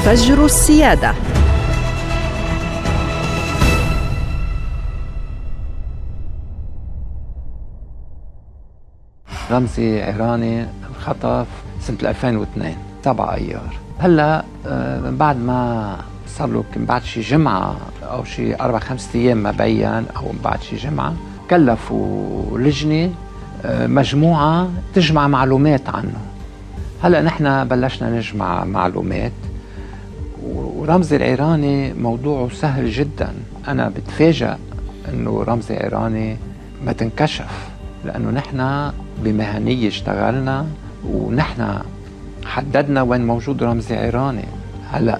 فجر السيادة. رمزي عيراني انخطف سنة 2002 7 أيار. هلا من بعد ما صار له يمكن بعد شي جمعة أو شي 4-5 أيام ما بين، أو من بعد شي جمعة كلفوا لجنة مجموعة تجمع معلومات عنه. هلا نحن بلشنا نجمع معلومات، ورمزي العيراني موضوعه سهل جدا. أنا بتفاجأ إنه رمزي عيراني ما تنكشف، لأنه نحن بمهنية اشتغلنا ونحن حددنا وين موجود رمزي عيراني. هلأ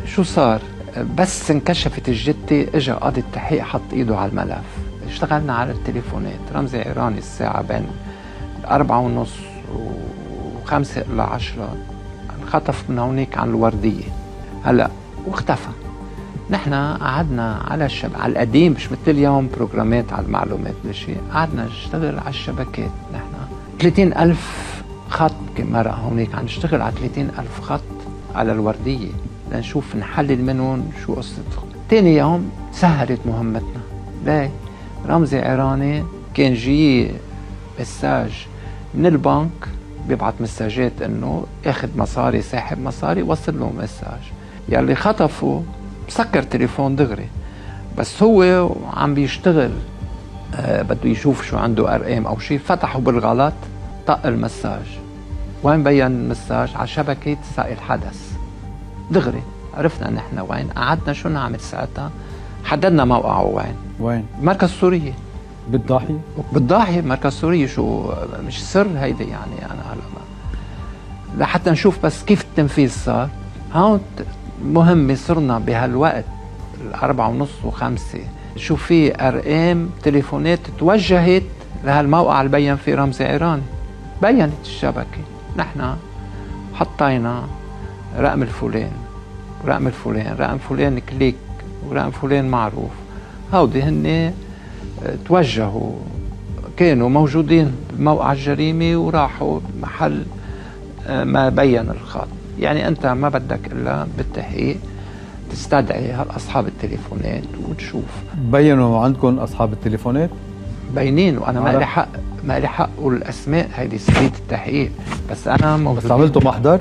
شو صار؟ بس انكشفت الجتة اجا قاضي التحقيق حط ايده على الملف. اشتغلنا على التليفونات. رمزي عيراني الساعة بين 4:30 و5 إلى 10 انخطف من هونيك عن الوردية. هلأ واختفى. نحن قعدنا على على القديم، مش مثل اليوم بروجرامات على المعلومات لشيء. قعدنا نشتغل على الشبكات. نحن 30,000 خط مرة هونيك عم نشتغل على 30,000 خط على الوردية لنشوف نحلل منهم شو قصتهم. تاني يوم سهلت مهمتنا. ليه؟ رمزي عيراني كان جي مساج من البنك، بيبعت مساجات انه اخذ مصاري، ساحب مصاري، وصل له مساج. يلي خطفه سكر تليفون دغري، بس هو عم بيشتغل بده يشوف شو عنده ارقام او شيء، فتحه بالغلط، طق المساج. وين بين المساج؟ على شبكة سائل حدث. دغري عرفنا نحن وين. قعدنا شو نعمل ساعتها؟ حددنا موقعه وين؟ مركز سورية بالضاحية. بالضاحية مركز سورية. شو مش سر هيدا يعني. أنا هلا لحتى نشوف بس كيف التنفيذ صار. هون مهمة صرنا بهالوقت 4:30 و5 شو في أرقام تليفونات توجهت لهالموقع اللي بين فيه رمزي عيراني. بينت الشبكة. نحن حطينا رقم الفلان، رقم الفلان، رقم فلان كليك، ورقم فلان معروف. هودي هن توجهوا، كانوا موجودين بموقع الجريمة وراحوا محل ما بين الخط. يعني أنت ما بدك إلا بالتحقيق تستدعي أصحاب التليفونات وتشوف. بينوا عندكم أصحاب التليفونات؟ بينين. وأنا ما لي حق أقول الأسماء، هيدي سبيت التحقيق. بس أنا موجودين. بس عملتوا محضر؟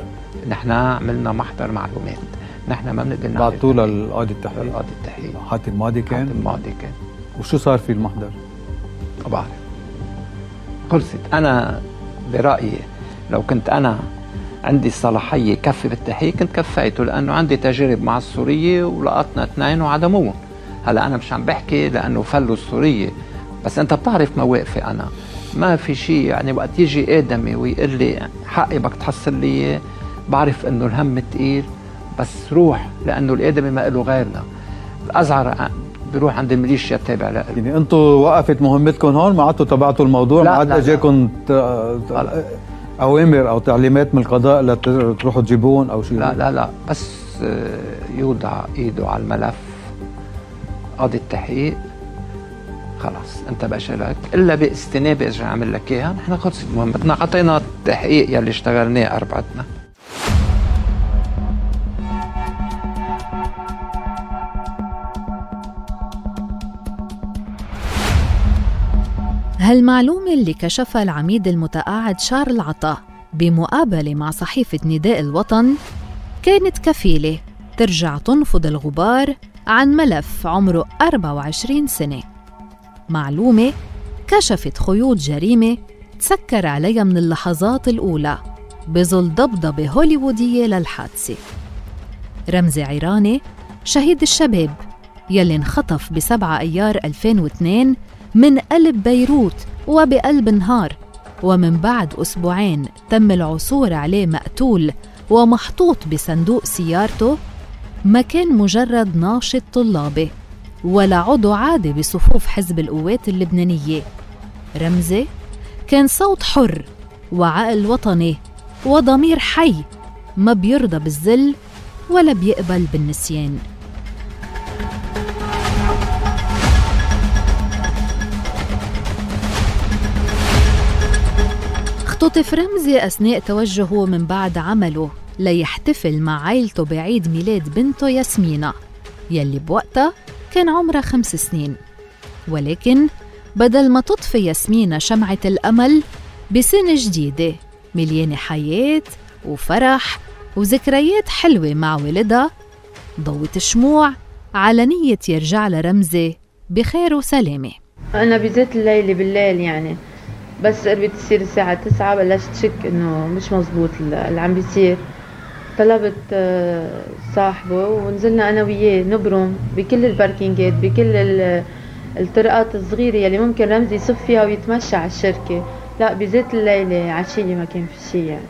نحن عملنا محضر معلومات. نحن ما بنقدر نعمل. بعتوا للقاضي التحقيق؟ للقاضي التحقيق. حاتم ماضي كان؟ حاتم ماضي كان. وشو صار في المحضر؟ ما بعرف. خلصت. أنا برأيي لو كنت أنا عندي الصلاحية كفي بالتحقيق كنت كفيته، لأنه عندي تجارب مع السورية ولقطنا 2 وعدموهم. هلا أنا مش عم بحكي لأنه فلوا السورية، بس أنت بتعرف مواقفي. أنا ما في شيء يعني وقت يجي آدمي ويقول لي حقي بدك تحصل لي، بعرف إنه الهم تقيل، بس روح، لأنه الآدمي ما له غيرنا. الأزعر بروح عند الميليشيا التابع له. يعني أنتوا وقفت مهمتكم هون، ما عدتوا تبعتوا الموضوع؟ ما عاد اجاكم أوامر أو تعليمات من القضاء لتروحوا تجيبون أو شيء؟ لا بس يوضع إيده على الملف قاضي التحقيق، خلاص أنت بقى لك إلا باستنابة إذا عمل لك إياها. نحن خلصت مهمتنا، عطينا التحقيق يلي اشتغلناه أربعتنا. هالمعلومة اللي كشفها العميد المتقاعد شارل عطا بمقابلة مع صحيفة نداء الوطن كانت كفيلة ترجع تنفض الغبار عن ملف عمره 24 سنة. معلومة كشفت خيوط جريمة تسكر عليها من اللحظات الأولى بظل ضبضبة هوليوودية للحادثة. رمزي عيراني شهيد الشباب يلي انخطف ب7 أيار 2002 من قلب بيروت وبقلب نهار، ومن بعد أسبوعين تم العثور عليه مقتول ومحطوط بصندوق سيارته، ما كان مجرد ناشط طلابي ولا عضو عادي بصفوف حزب القوات اللبنانية. رمزي كان صوت حر وعقل وطني وضمير حي، ما بيرضى بالذل ولا بيقبل بالنسيان. اختطف رمزي أثناء توجهه من بعد عمله ليحتفل مع عائلته بعيد ميلاد بنته ياسمينة يلي بوقتها كان عمرها 5 سنين. ولكن بدل ما تطفي ياسمينة شمعة الأمل بسنة جديدة مليانة حياة وفرح وذكريات حلوة مع ولدها، ضوت الشموع على نية يرجع لرمزي بخير وسلامة. أنا بزيت الليلة بالليل يعني، بس قربت تصير الساعة 9 بلشت شك إنه مش مزبوط اللي عم بيصير. طلبت صاحبه ونزلنا أنا وياه نبرم بكل الباركينجات، بكل الطرقات الصغيرة يلي ممكن رمزي يصف فيها ويتمشى على الشركة. لا بزيت الليلة عشية ما كان في شيء يعني.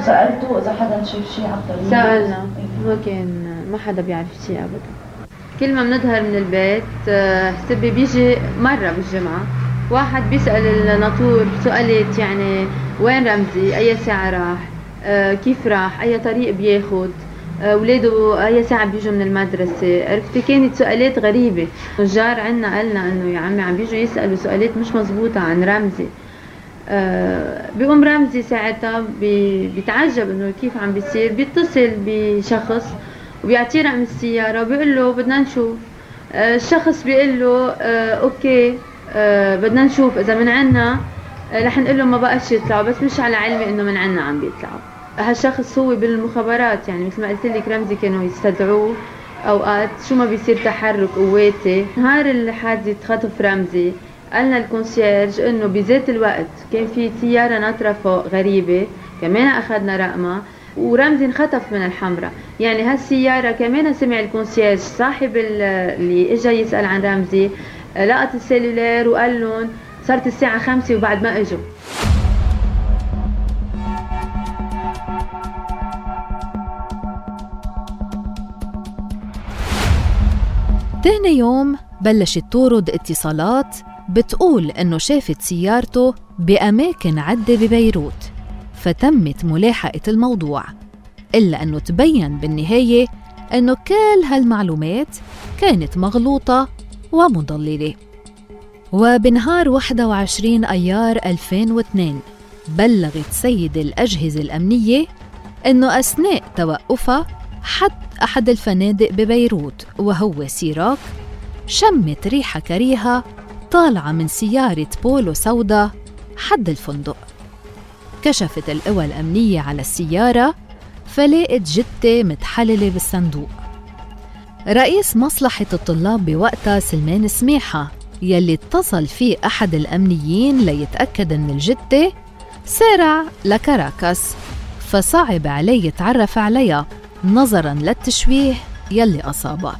سألته إذا حدا شاف شيء على الطريق؟ سألنا، ما حدا بيعرف شيء أبدا. كل ما بنظهر من البيت حسبي بيجي مرة بالجمعة واحد بيسأل الناطور سؤالات يعني وين رمزي، أي ساعة راح، كيف راح، أي طريق بياخد، ولاده أي ساعة بيجوا من المدرسة. عرفتي كانت سؤالات غريبة. الجار عنا قالنا إنه يا عمي عم بيجوا يسألوا سؤالات مش مزبوطة عن رمزي. بيقوم رمزي ساعتها بيتعجب إنه كيف عم بيصير، بيتصل بشخص وبيعطيه رقم السيارة وبيقول له بدنا نشوف. الشخص بيقول له أوكي بدنا نشوف إذا من عنا رح نقول له ما بقاش يطلعوا، بس مش على علمي إنه من عنا عم بيطلعوا. هالشخص هو بالمخابرات يعني، مثل ما قلت لك رمزي كانوا يستدعوه أوقات شو ما بيصير تحرك قواتي. نهار الحادثة خطف رمزي قالنا الكونسيرج إنه بذات الوقت كان في سيارة ناطرة فوق غريبة، كمان أخذنا رقمها ورمزي انخطف من الحمراء. يعني هالسيارة كمان سمع الكونسيرج صاحب اللي اجا يسأل عن رمزي لقط السيلولير وقال لهم صارت الساعة 5 وبعد ما اجوا. تاني يوم بلشت تورد اتصالات بتقول انه شافت سيارته بأماكن عدة ببيروت، فتمت ملاحقة الموضوع. إلا أنه تبين بالنهاية أنه كل هالمعلومات كانت مغلوطة ومضللة. وبنهار 21 أيار 2002 بلغت سيد الأجهزة الأمنية أنه أثناء توقفها أحد الفنادق ببيروت وهو سيراك شمت ريحة كريهة طالعة من سيارة بولو سودا حد الفندق. كشفت القوى الأمنية على السيارة فلقت جثة متحللة بالصندوق. رئيس مصلحة الطلاب بوقتها سلمان سميحة يلي اتصل فيه أحد الأمنيين ليتأكد من الجثة سارع لكاراكاس، فصعب عليه يتعرف عليها نظراً للتشويه يلي أصابه.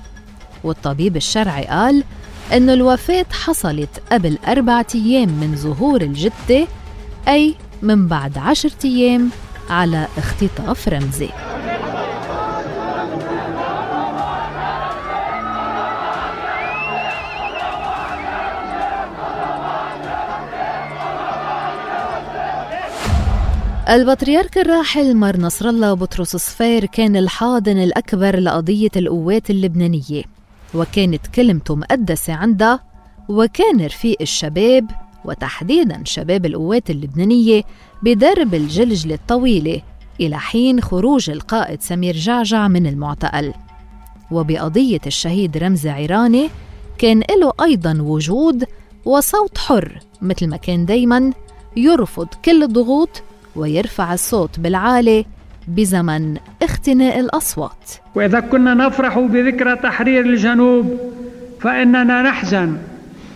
والطبيب الشرعي قال إنه الوفاة حصلت قبل 4 أيام من ظهور الجثة، أي من بعد 10 أيام على اختطاف رمزي. البطريرك الراحل مار نصر الله بطرس صفير كان الحاضن الأكبر لقضية القوات اللبنانية، وكانت كلمته مقدسة عنده، وكان رفيق الشباب وتحديداً شباب القوات اللبنانية بدرب الجلجلة الطويلة إلى حين خروج القائد سمير جعجع من المعتقل. وبقضية الشهيد رمزي عيراني كان له أيضاً وجود وصوت حر، مثل ما كان دايماً يرفض كل الضغوط ويرفع الصوت بالعالي بزمن اختناق الأصوات. وإذا كنا نفرح بذكرى تحرير الجنوب فإننا نحزن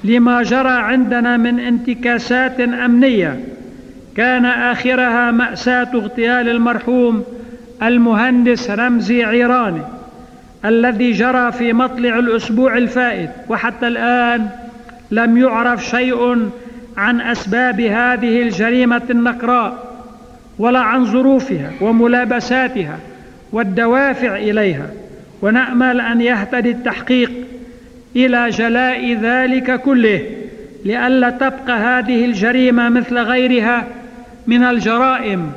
لما جرى عندنا من انتكاسات أمنية كان آخرها مأساة اغتيال المرحوم المهندس رمزي عيراني الذي جرى في مطلع الأسبوع الفائت، وحتى الآن لم يعرف شيء عن أسباب هذه الجريمة النقراء ولا عن ظروفها وملابساتها والدوافع إليها، ونأمل أن يهتدي التحقيق إلى جلاء ذلك كله لئلا تبقى هذه الجريمة مثل غيرها من الجرائم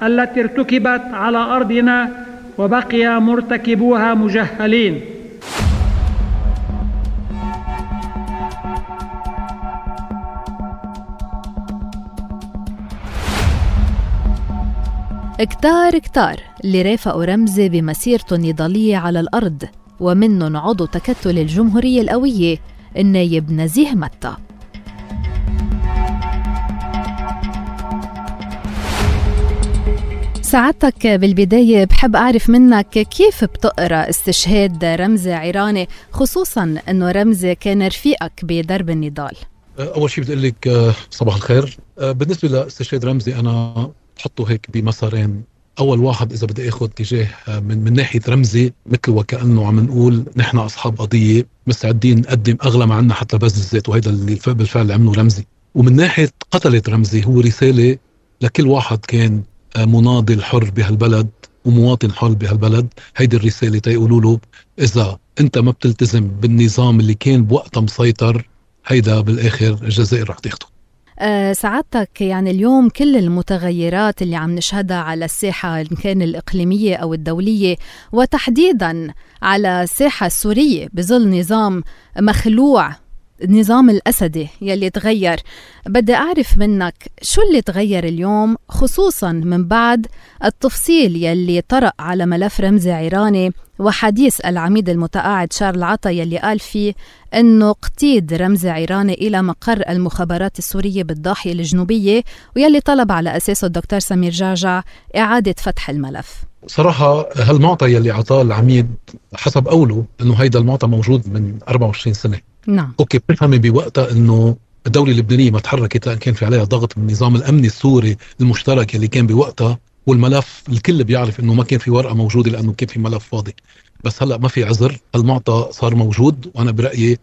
التي ارتكبت على أرضنا وبقي مرتكبوها مجهلين. كتار كتار اللي رافقوا رمزي بمسيرته النضالية على الأرض، ومنهم عضو تكتل الجمهورية القوية النايب نزيه متى. سعادتك بالبداية بحب أعرف منك كيف بتقرأ استشهاد رمزي عيراني، خصوصاً أنه رمزي كان رفيقك بدرب النضال؟ أول شيء بدي أقول لك صباح الخير. بالنسبة لاستشهاد رمزي أنا بحطه هيك بمسارين. أول واحد إذا بدي أخذ اتجاه من ناحية رمزي، مثل وكأنه عم نقول نحن أصحاب قضية مستعدين نقدم أغلى ما عنا حتى بذل الذات، وهذا اللي بالفعل عمله رمزي. ومن ناحية قتلة رمزي هو رسالة لكل واحد كان مناضل حر بهالبلد ومواطن حر بهالبلد. هيدي الرسالة تيقولوا له إذا أنت ما بتلتزم بالنظام اللي كان بوقتها مسيطر، هيدا بالآخر الجزائر رح تاخده. سعادتك يعني اليوم كل المتغيرات اللي عم نشهدها على الساحة إن كان الإقليمية أو الدولية، وتحديداً على الساحة السورية بظل نظام مخلوع، النظام الأسدي يلي تغير، بدي أعرف منك شو اللي تغير اليوم، خصوصاً من بعد التفصيل يلي طرأ على ملف رمزي عيراني وحديث العميد المتقاعد شارل عطا يلي قال فيه أنه اقتيد رمزي عيراني إلى مقر المخابرات السورية بالضاحية الجنوبية، ويلي طلب على أساسه الدكتور سمير جعجع إعادة فتح الملف. صراحة هالمعطى يلي عطاه العميد حسب قوله أنه هيدا المعطى موجود من 24 سنة. نعم. أوكي، بفهمي بوقتها أنه الدولة اللبنانية ما تحركت لأن كان في عليها ضغط من النظام الأمني السوري المشترك اللي كان بوقتها، والملف الكل بيعرف أنه ما كان في ورقة موجودة لأنه كان في ملف فاضي. بس هلأ ما في عذر، المعطى صار موجود، وأنا برأيي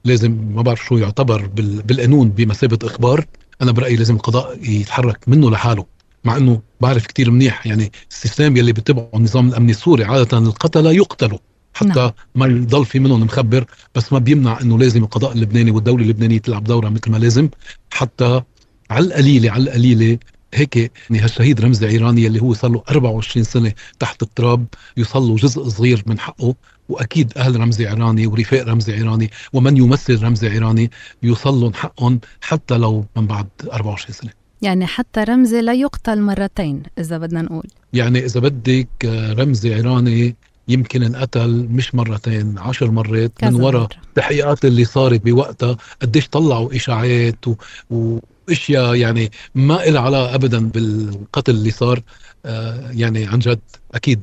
لازم، ما بعرف شو يعتبر بالقانون بمثابة إخبار، أنا برأيي لازم القضاء يتحرك منه لحاله. مع أنه بعرف كتير منيح يعني السيستم يلي بتبعه النظام الأمني السوري عادة القتلة يقتلوا حتى نعم. ما يضل في منهم مخبر، بس ما بيمنع أنه لازم القضاء اللبناني والدولة اللبنانية تلعب دورها مثل ما لازم، حتى على القليلة هيك يعني هالشهيد رمزي عيراني اللي هو صار له 24 سنة تحت التراب يوصل له جزء صغير من حقه. وأكيد أهل رمزي عيراني ورفاق رمزي عيراني ومن يمثل رمزي عيراني يوصل لهم حقهم حتى لو من بعد 24 سنة. يعني حتى رمزي لا يقتل مرتين إذا بدنا نقول، يعني إذا بدك رمزي عيراني يمكن انقتل مش مرتين، 10 مرات من وراء التحقيقات اللي صارت بوقتها. قديش طلعوا إشاعات وإشياء يعني ما إلها علاقة أبدا بالقتل اللي صار. يعني عن جد أكيد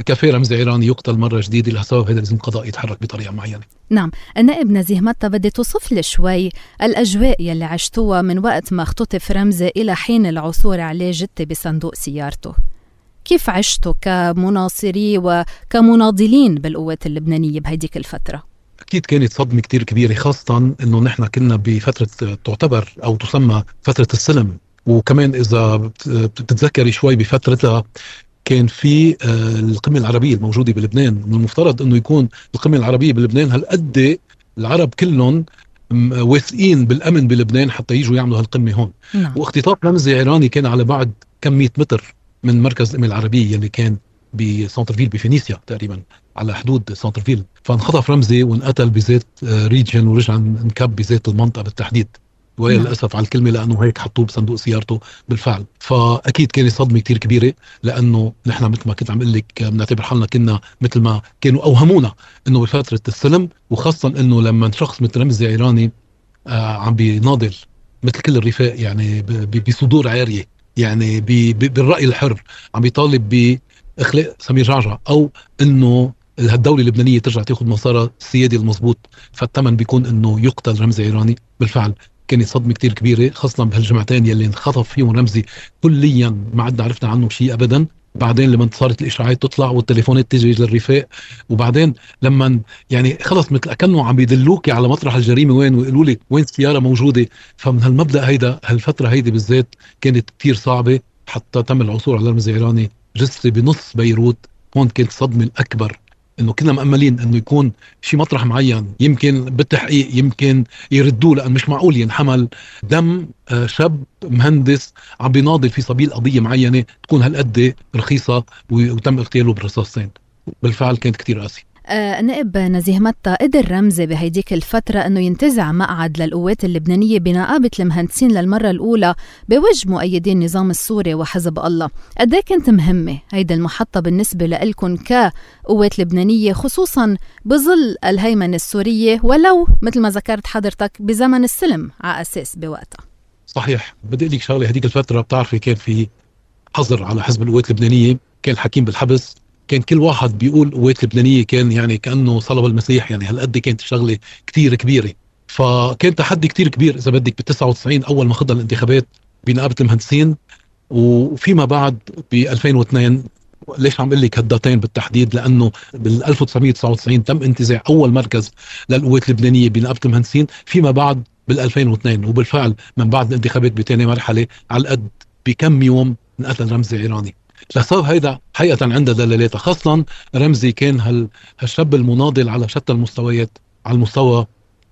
كفي رمزي عيراني يقتل مرة جديدة. لهالسبب هذا لازم القضاء يتحرك بطريقة معينة. نعم. النائب نزيه متى، بدي توصف لي شوي الأجواء يلي عشتوها من وقت ما اختطف رمزي إلى حين العثور عليه جثة بصندوق سيارته. كيف عشتوا كمناصري وكمناضلين بالقوات اللبنانية بهيديك الفترة؟ أكيد كانت صدمة كتير كبيرة، خاصة أنه نحن كنا بفترة تعتبر أو تسمى فترة السلم. وكمان إذا بتتذكري شوي بفترتها كان في القمة العربية الموجودة بلبنان. من المفترض أنه يكون القمة العربية بلبنان هالقد العرب كلهم واثقين بالأمن بلبنان حتى يجوا يعملوا هالقمة هون. واختطاف رمزي عيراني كان على بعد كم 100 متر من مركز القمة العربية اللي كان بسانترفيل بفينيسيا تقريبا على حدود سانترفيل. فانخطف رمزي وانقتل بزيت ريجن ورجع انكب بزيت المنطقة بالتحديد، وللأسف على الكلمة لأنه هيك حطوه بصندوق سيارته بالفعل. فأكيد كانت صدمة كتير كبيرة، لأنه نحن مثل ما كنت عم قلك بنعتبر حالنا كنا مثل ما كانوا أوهمونا أنه بفترة السلم، وخاصة أنه لما شخص مثل رمزي عيراني عم بيناضل مثل كل الرفاق يعني بصدور عارية، يعني بالرأي الحر، عم بيطالب بإخلاء سمير جعجع أو أنه الدولة اللبنانية ترجع تاخذ مسارها السيادي المضبوط، فالثمن بيكون أنه يقتل رمزي عيراني. بالفعل كانت صدمة كتير كبيرة، خاصة بهالجمعتين يلي انخطف فيهم رمزي كليا ما عدنا عرفنا عنه شيء أبدا. بعدين لما صارت الإشاعات تطلع والتليفونات تجي للرفاق، وبعدين لما يعني خلص مثل أكنه عم يدلوكي على مطرح الجريمة وين، ويقولوا لي وين السيارة موجودة. فمن هالمبدأ هيدا هالفترة هيدي بالذات كانت كتير صعبة، حتى تم العثور على رمزي عيراني جثة بنص بيروت. هون كانت الصدمة الأكبر، انه كنا مأملين انه يكون شي مطرح معين يمكن بالتحقيق يمكن يردوه، لان مش معقول ينحمل دم شاب مهندس عم بيناضل في سبيل قضية معينة تكون هالقد رخيصة وتم اغتياله بالرصاصتين. بالفعل كانت كتير قاسي. نائب نزيه متى، قدر رمزي بهيديك الفترة أنه ينتزع مقعد للقوات اللبنانية بنقابة المهندسين للمرة الأولى بوجه مؤيدين النظام السوري وحزب الله. قد ايه كانت مهمة هيدي المحطة بالنسبة لإلكن كقوات لبنانية، خصوصا بظل الهيمنة السورية، ولو مثل ما ذكرت حضرتك بزمن السلم على أساس بوقتها؟ صحيح. بدي لك شغلة، هديك الفترة بتعرفي كان في حظر على حزب القوات اللبنانية، كان الحكيم بالحبس، كان كل واحد بيقول قوات لبنانية، كان يعني كأنه صلب المسيح، يعني هالقد كانت الشغلة كتير كبيرة. فكان تحدي كتير كبير إذا بدك ب99 أول ما خضنا الانتخابات بنقابة المهندسين، وفيما بعد ب2002. ليش عم قل لك هالداتين بالتحديد؟ لأنه بال1999 تم انتزاع أول مركز للقوات اللبنانية بنقابة المهندسين، فيما بعد بال2002. وبالفعل من بعد الانتخابات بتاني مرحلة على القد بكم يوم انقتل رمزي عيراني. لسبب هيدا حقيقة عنده دلالاتها، خاصة رمزي كان هالشاب المناضل على شتى المستويات، على المستوى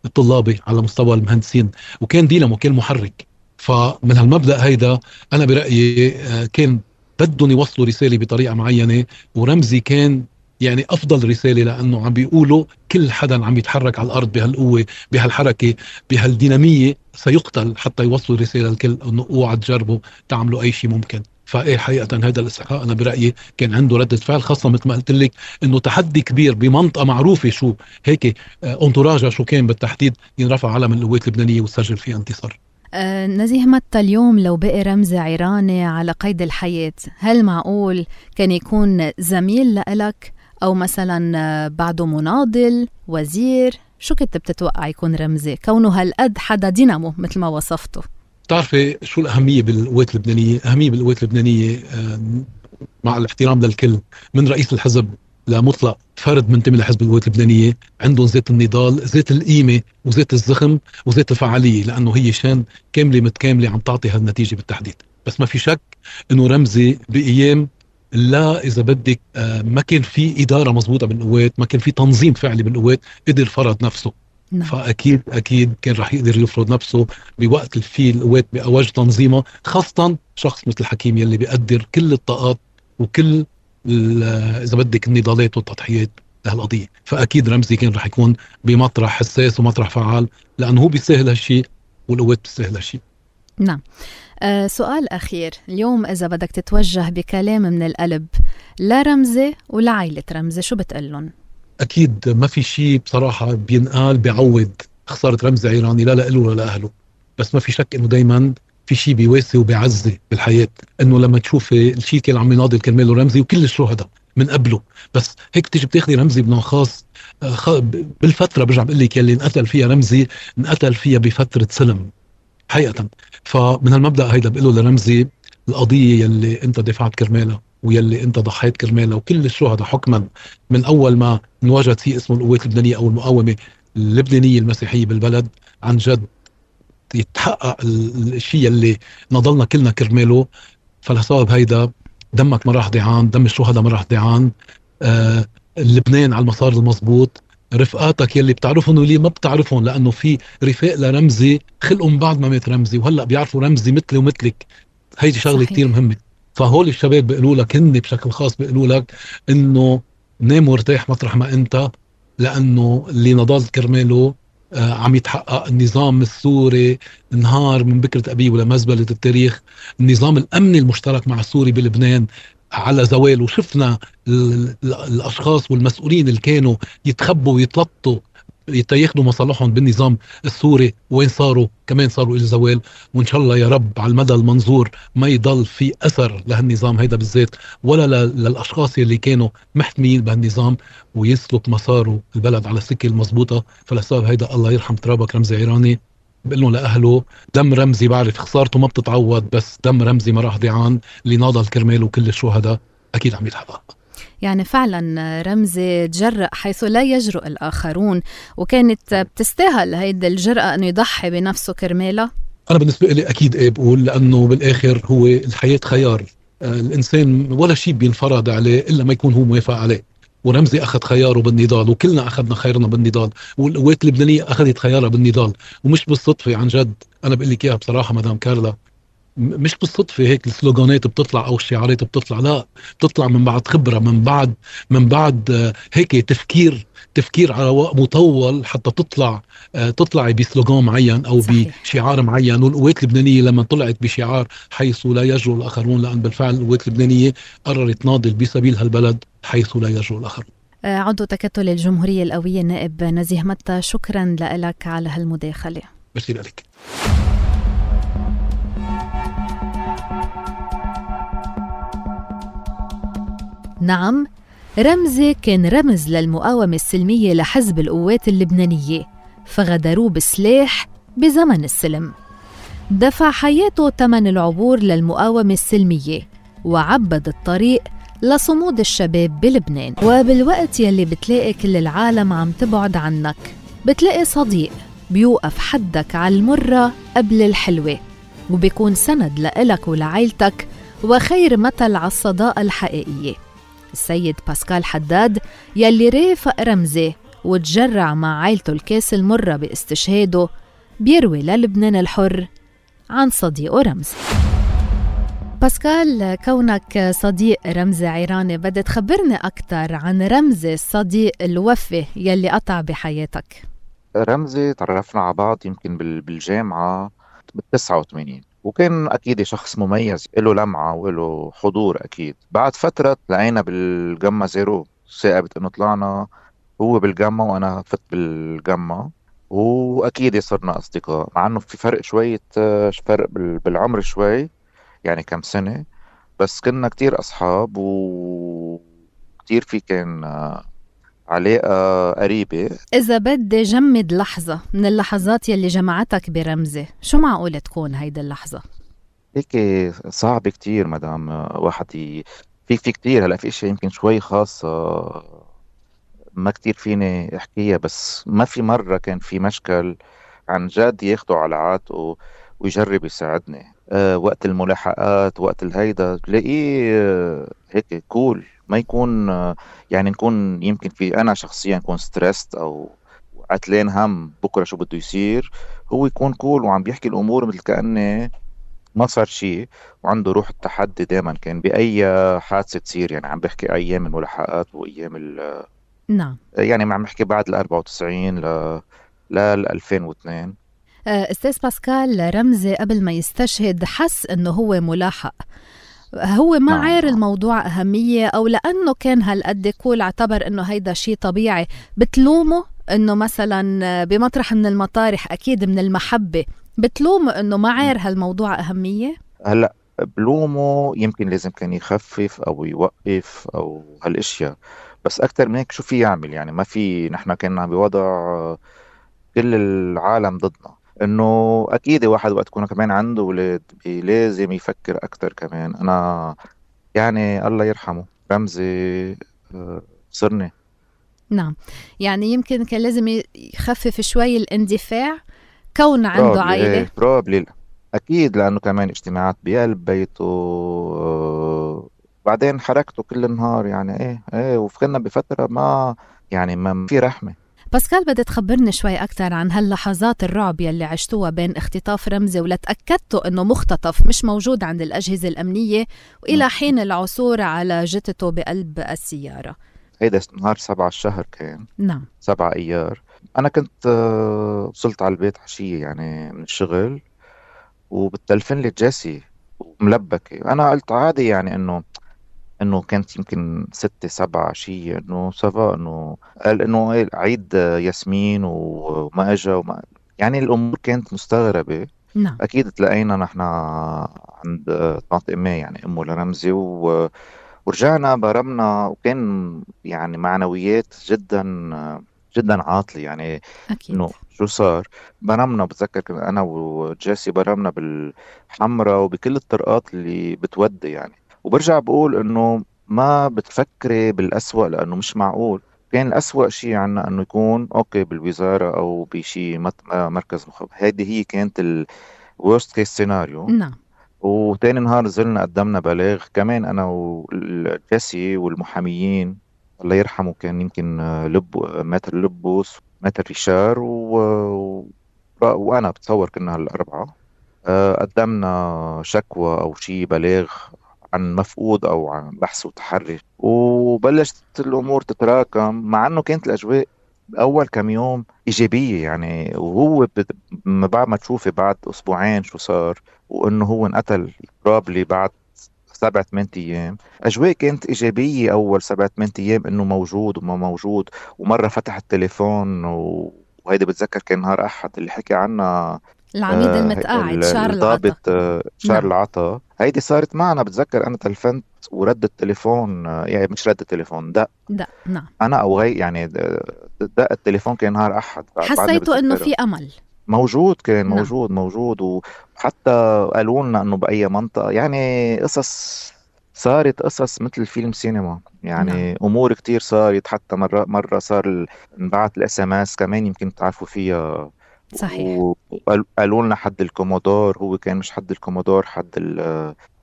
الطلابي، على مستوى المهندسين، وكان دينامو، كان محرك. فمن هالمبدأ هيدا أنا برأيي كان بدهم يوصلوا رسالة بطريقة معينة، ورمزي كان يعني أفضل رسالة، لأنه عم بيقولوا كل حدا عم يتحرك على الأرض بهالقوة، بهالحركة، بهالدينامية سيقتل، حتى يوصلوا رسالة الكل أنه اوعى تجربوا تعملوا أي شيء ممكن. فايه حقيقة هذا الاستحقاق أنا برأيي كان عنده ردة فعل، خاصة مثل ما قلت لك إنه تحدي كبير بمنطقة معروفة شو هيك انتراجها شو كان بالتحديد، ينرفع علم القوات اللبنانية وسجل فيها انتصار. نزيه متى، اليوم لو بقي رمزي عيراني على قيد الحياة، هل معقول كان يكون زميل لإلك، أو مثلا بعده مناضل، وزير؟ شو كنت بتتوقع يكون رمزي كونه هالقد حدا دينامو مثل ما وصفته؟ بتعرفي شو الأهمية بالقوات اللبنانية؟ أهمية بالقوات اللبنانية مع الاحترام للكل، من رئيس الحزب لمطلق فرد منتمي لحزب القوات اللبنانية، عندهم ذات النضال، ذات القيمة، وذات الزخم، وذات الفعالية، لأنه هي شان كاملة متكاملة عم تعطي هالنتيجة بالتحديد. بس ما في شك إنه رمزي بأيام لا إذا بدك ما كان في إدارة مضبوطة بالقوات، ما كان في تنظيم فعلي بالقوات، قدر فرض نفسه. نعم. فأكيد كان رح يقدر يفرض نفسه بوقت في القوات بأوج تنظيمه، خاصة شخص مثل الحكيم يلي بيقدر كل الطاقات وكل إذا بدك النضالات والتضحيات لهالقضية. فأكيد رمزي كان رح يكون بمطرح حساس ومطرح فعال، لأنه هو بيستاهل هالشيء والقوات بتستاهل هالشيء. نعم. سؤال أخير، اليوم إذا بدك تتوجه بكلام من القلب لرمزي ولعائلة رمزي، شو بتقلن؟ أكيد ما في شيء بصراحة بينقال بيعوض خسارة رمزي عيراني، لا لإله ولا لأهله. بس ما في شك إنه دايما في شيء بيواسي وبيعزي بالحياة، إنه لما تشوفي الشيء كان عم يناضل كرماله رمزي وكل الشهداء من قبله، بس هيك تيجي بتاخذي رمزي بنوع خاص بالفترة برجع بقول لك يلي انقتل فيها رمزي، انقتل فيها بفترة سلم حقيقة. فمن هالمبدأ هيدا بقوله لرمزي القضية يلي انت دفعت كرمالها ويلي انت ضحيت كرمالها، وكل الشهداء حكما من اول ما انوجد فيه اسمه القوات اللبنانية او المقاومة اللبنانية المسيحية بالبلد، عن جد يتحقق الشيء اللي نضلنا كلنا كرماله. فلسبب هيدا دمك ما راح ضيعان، دم الشهداء ما راح ضيعان. لبنان على المسار المضبوط، رفقاتك يلي بتعرفهم واللي ما بتعرفهم، لانه في رفاق لرمزي خلقوا من بعد ما مات رمزي وهلا بيعرفوا رمزي مثلي ومثلك. هيدي شغله كتير مهمه. فهول الشباب بيقولوا لك، هن بشكل خاص بيقولوا لك انه نام وارتاح مطرح ما انت، لانه اللي نضال كرماله عم يتحقق. النظام السوري انهار من بكرة أبيه ولا مزبلة التاريخ. النظام الأمني المشترك مع السوري بلبنان على زوال، وشفنا الأشخاص والمسؤولين اللي كانوا يتخبوا ويتلطوا يتاخدوا مصالحهم بالنظام السوري وين صاروا، كمان صاروا إلى زوال. وإن شاء الله يا رب على المدى المنظور ما يضل في أثر لهالنظام هيدا بالذات، ولا للأشخاص اللي كانوا محتمين بهالنظام، ويسلك مساره البلد على السكة المضبوطة. فلسبب هيدا الله يرحم ترابك رمزي عيراني، بقول له لأهله دم رمزي بعرف خسارته ما بتتعوض، بس دم رمزي ما راح ضيعان، اللي ناضل كرماله وكل الشهداء أكيد عم يتحقق. يعني فعلا رمزي تجرأ حيث لا يجرؤ الآخرون، وكانت بتستاهل هيدا الجرأة أنه يضحي بنفسه كرمالها. أنا بالنسبة لي أكيد بقول، لأنه بالآخر هو الحياة خيار، الإنسان ولا شيء بينفرض عليه إلا ما يكون هو موافق عليه. ورمزي أخذ خياره بالنضال، وكلنا أخذنا خيرنا بالنضال، والقوات اللبنانية أخذت خيارها بالنضال. ومش بالصدفة، عن جد أنا بقول لك إياها بصراحة مدام كارلا، مش بالصدفة هيك السلوغانات بتطلع أو الشعارات بتطلع، لا، بتطلع من بعد خبرة، من بعد هيك تفكير على وقت مطول حتى تطلع بسلوغان معين أو صحيح. بشعار معين. والقوات اللبنانية لما طلعت بشعار حيث لا يجرؤ الآخرون، لأن بالفعل القوات اللبنانية قررت تناضل بسبيل هالبلد حيث لا يجرؤ الآخرون. عضو تكتل الجمهورية القوية النائب نزيه متى، شكرا لك على هالمداخلة. ميرسي لك. نعم، رمزي كان رمز للمقاومة السلمية لحزب القوات اللبنانية، فغدروه بسلاح بزمن السلم. دفع حياته ثمن العبور للمقاومة السلمية، وعبد الطريق لصمود الشباب بلبنان. وبالوقت يلي بتلاقي كل العالم عم تبعد عنك، بتلاقي صديق بيوقف حدك على المرة قبل الحلوة، وبيكون سند لإلك ولعائلتك، وخير مثل على الصداقة الحقيقية. السيد باسكال حداد يلي رافق رمزي وتجرع مع عائلته الكاس المرة باستشهاده، بيروي للبنان الحر عن صديقه رمزي. باسكال، كونك صديق رمزي عيراني، بدي تخبرني أكتر عن رمزي الصديق الوفي يلي قطع بحياتك. رمزي تعرفنا على بعض يمكن بالجامعة بال89، وكان أكيد شخص مميز، له لمعة وله حضور. أكيد بعد فترة لقينا بالجامعة زيرو، ثاقبت إنه طلعنا هو بالجامعة وأنا فت بالجامعة، وأكيد صرنا أصدقاء، مع إنه في فرق شوية، فرق بالعمر شوي، يعني كم سنة، بس كنا كتير أصحاب وكتير في كان علاقة قريبة. إذا بدي جمد لحظة من اللحظات يلي جمعتك برمزي، شو معقول تكون هيدا اللحظة؟ هيك صعب كتير مدام واحد في كتير. هلأ في اشياء يمكن شوي خاصة ما كتير فيني احكيها، بس ما في مرة كان في مشكل عن جد ياخدوا على عاتقه ويجرب يساعدني. وقت الملاحقات، وقت الهيدا تلاقيه هيك كول، ما يكون يعني نكون يمكن في أنا شخصيا نكون ستريسد أو عتلين هم بكرة شو بده يصير، هو يكون كول وعم بيحكي الأمور مثل كأنه ما صار شيء، وعنده روح التحدي دائما. كان بأي حادثة تصير، يعني عم بحكي أيام الملاحقات وأيام نعم، يعني ما عم بحكي بعد 94 ل 2002. أستاذ باسكال، رمزي قبل ما يستشهد حس أنه هو ملاحق، هو ما عار الموضوع أهمية، أو لأنه كان هالقد كول اعتبر أنه هيدا شيء طبيعي؟ بتلومه أنه مثلا بمطرح من المطارح أكيد من المحبة، بتلومه أنه ما عار هالموضوع أهمية؟ هلأ بلومه يمكن لازم كان يخفف أو يوقف أو هالاشياء، بس أكتر من هيك شو في يعمل؟ يعني ما في، نحن كنا بوضع كل العالم ضدنا، انه اكيد واحد وقت يكون كمان عنده اولاد لازم يفكر اكتر كمان. انا يعني الله يرحمه رمزي صرني. نعم، يعني يمكن كان لازم يخفف شوي الاندفاع كون عنده عائلة. بروبلي اكيد، لانه كمان اجتماعات بقلب بيته، بعدين حركته كل النهار، يعني ايه وفكرنا بفترة ما يعني ما في رحمة. باسكال، بدي تخبرني شوي أكتر عن هاللحظات الرعب يلي عشتوها بين اختطاف رمزي ولتأكدتوا أنه مختطف مش موجود عند الأجهزة الأمنية، وإلى حين العثور على جثته بقلب السيارة. هيدا نهار 7 الشهر كان. نعم، 7 أيار. أنا كنت وصلت على البيت عشية يعني من الشغل، وبتلفن لي جيسي وملبكة. أنا قلت عادي، يعني إنه كانت يمكن 6 7 شيء، إنه سافا، إنه قال إنه عيد ياسمين وما إجا وما، يعني الأمور كانت مستغربة. نعم، أكيد تلاقينا نحن عند طنط أمي، يعني أمه لرمزي، ورجعنا برمنا، وكان يعني معنويات جدا جدا عاطلة، يعني أكيد. إنه شو صار. برمنا، بتذكر أنا وجيسي برمنا بالحمرة وبكل الطرقات اللي بتودي يعني. وبرجع بقول إنه ما بتفكري بالأسوأ، لأنه مش معقول. كان الأسوأ شيء عنا إنه يكون أوكي بالوزارة أو بشي مركز مخابرات. هذه هي كانت الورست كيس سيناريو. نعم. وتاني نهار نزلنا قدمنا بلاغ كمان أنا والجيسي والمحاميين، الله يرحمه كان يمكن ماتر لبوس، ماتر ريشار، وأنا بتصور كنا هالأربعة. قدمنا شكوى أو شيء بلاغ عن مفقود أو عن بحث وتحري، وبلشت الأمور تتراكم، مع أنه كانت الأجواء أول كم يوم إيجابية يعني. وهو بعد ما تشوفي بعد أسبوعين شو صار، وأنه هو انقتل بروبلي بعد 7-8 أيام، أجواء كانت إيجابية أول 7-8 أيام، إنه موجود وما موجود. ومرة فتح التليفون وهيدا بتذكر كان نهار أحد اللي حكي عنها العميد المتقاعد شارل العطا. شارل العطا. هيدي صارت معنا، بتذكر أنا تلفنت ورد التليفون، يعني مش رد التليفون، دق. نعم. أنا أو غير يعني دق التليفون كان نهار أحد. حسيتوا إنه في أمل موجود، كان موجود. وحتى قالوا لنا إنه بأي منطقة، يعني صارت قصص مثل فيلم سينما يعني. أمور كتير صارت، حتى مرة صار نبعت الSMS كمان، يمكن تعرفوا فيها. صحيح. وقالوا لنا حد الكومودور، هو كان مش حد الكومودور، حد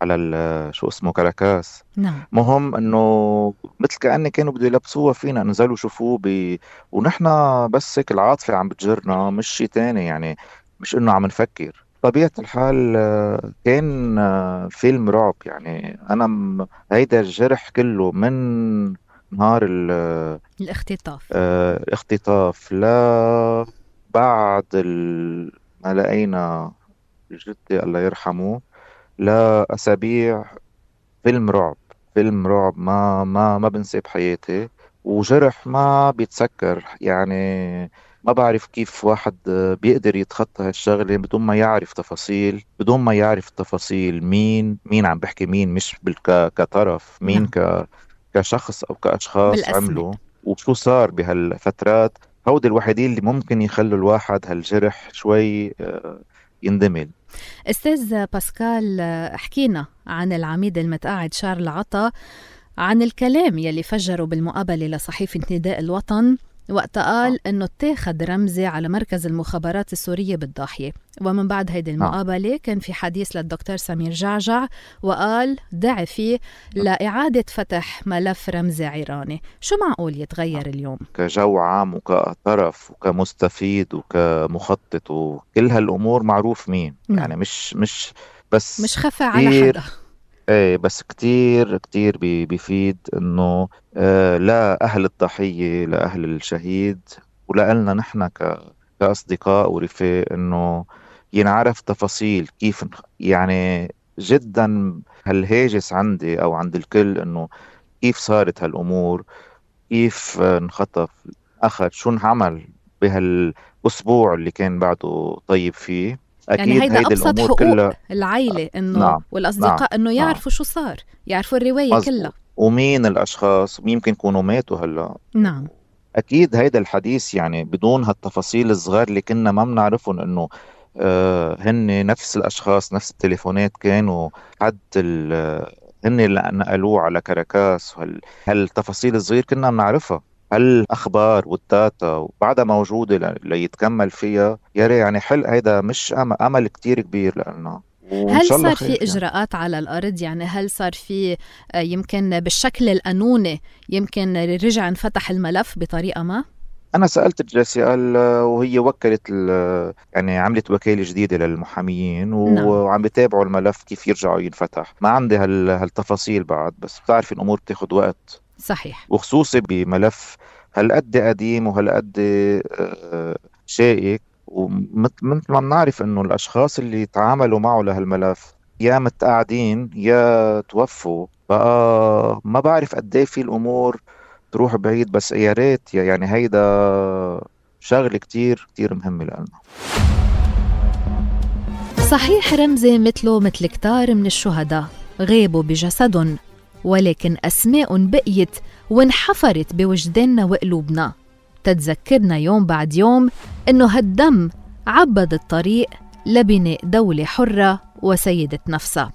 على شو اسمه كاراكاس. نعم. مهم انه مثل كأني كانوا بده يلبسوها فينا، نزلوا شوفوه ونحن بس هيك العاطفة عم بتجرنا، مش شيء تاني يعني، مش انه عم نفكر. طبيعة الحال كان فيلم رعب يعني. انا هيدا الجرح كله من نهار الاختطاف لا بعد ما لقينا جدي الله يرحمه، لا أسابيع، فيلم رعب ما بنسى بحياتي، وجرح ما بيتسكر يعني. ما بعرف كيف واحد بيقدر يتخطى هالشغلة بدون ما يعرف تفاصيل مين عم بحكي، مين مش كطرف، مين كشخص أو كأشخاص بالأسماء. عملوا، وشو صار بهالفترات. هودي الوحيدين اللي ممكن يخلوا الواحد هالجرح شوي يندمل. أستاذ باسكال، احكينا عن العميد المتقاعد شارل العطا، عن الكلام يلي فجروا بالمقابلة لصحيفة نداء الوطن وقت قال أنه اتاخد رمزي على مركز المخابرات السورية بالضاحية. ومن بعد هيدي المقابلة كان في حديث للدكتور سمير جعجع، وقال دعي فيه لإعادة فتح ملف رمزي عيراني. شو معقول يتغير اليوم؟ كجو عام وكطرف وكمستفيد وكمخطط وكل هالأمور معروف مين. يعني مش بس مش خفى على حدا. ايه، بس كتير بيفيد انه لا اهل الضحية، لا اهل الشهيد، ولقلنا نحن كأصدقاء ورفاق انه ينعرف تفاصيل كيف يعني. جدا هالهاجس عندي او عند الكل انه كيف صارت هالامور، كيف انخطف، اخذ شو انعمل بهالاسبوع اللي كان بعده طيب فيه. أكيد يعني هيدا أبسط حقوق كلها العائلة إنه والأصدقاء إنه يعرفوا شو صار، يعرفوا الرواية كلها، ومين الأشخاص، ويمكن يكونوا ماتوا هلا. نعم. أكيد هيدا الحديث يعني بدون هالتفاصيل الصغار اللي كنا ما بنعرفهم، إنه هن نفس الأشخاص، نفس التليفونات كانوا حد هن اللي نقلوه على كاراكاس، هالتفاصيل الصغير كنا بنعرفها. هالأخبار والداتا بعدها موجودة ليتكمل فيها. يعني حل هيدا مش أمل كتير كبير لنا. هل صار في إجراءات على الأرض؟ يعني هل صار في يمكن بالشكل القانوني يمكن رجع انفتح الملف بطريقة ما؟ أنا سألت الجلسة وهي وكلت يعني عملت وكالة جديدة للمحاميين وعم بيتابعوا الملف كيف يرجعوا ينفتح. ما عندي هالتفاصيل بعد، بس بتعرف الأمور بتاخد وقت. صحيح. وخصوصي بملف هالقد قديم وهالقد شائك، ومثل ما بنعرف انه الاشخاص اللي تعاملوا معه لهالملف يا متقاعدين يا توفوا. بقى ما بعرف قد ايه في الامور تروح بعيد، بس يا ريت يعني هيدا شغله كتير مهمه لنا. صحيح رمزي مثله مثل كتار من الشهداء غيبوا بجسدهم، ولكن أسماء بقيت وانحفرت بوجداننا وقلوبنا، تتذكرنا يوم بعد يوم إنه هالدم عبد الطريق لبناء دولة حرة وسيدة نفسها.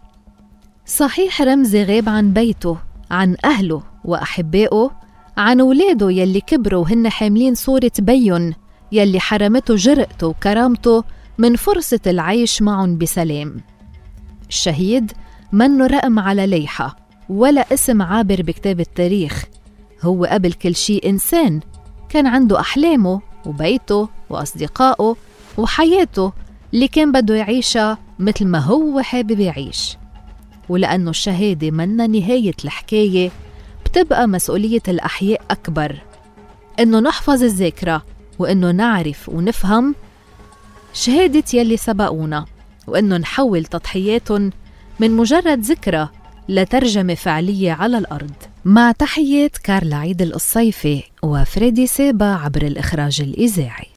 صحيح رمزي غاب عن بيته، عن أهله وأحبائه، عن أولاده يلي كبروا وهن حاملين صورة بيون يلي حرمته جرأته وكرامته من فرصة العيش معهم بسلام. الشهيد منه رقم على ليحة ولا اسم عابر بكتاب التاريخ، هو قبل كل شيء إنسان كان عنده أحلامه وبيته وأصدقائه وحياته اللي كان بده يعيشها مثل ما هو حابب يعيش. ولأنه الشهادة منا نهاية الحكاية، بتبقى مسؤولية الأحياء أكبر، إنه نحفظ الذاكرة، وإنه نعرف ونفهم شهادة يلي سبقونا، وإنه نحول تضحياتهم من مجرد ذكرى لترجمة فعلية على الأرض. مع تحيات كارلا عيد القصيفي وفريدي سابا عبر الإخراج الإذاعي.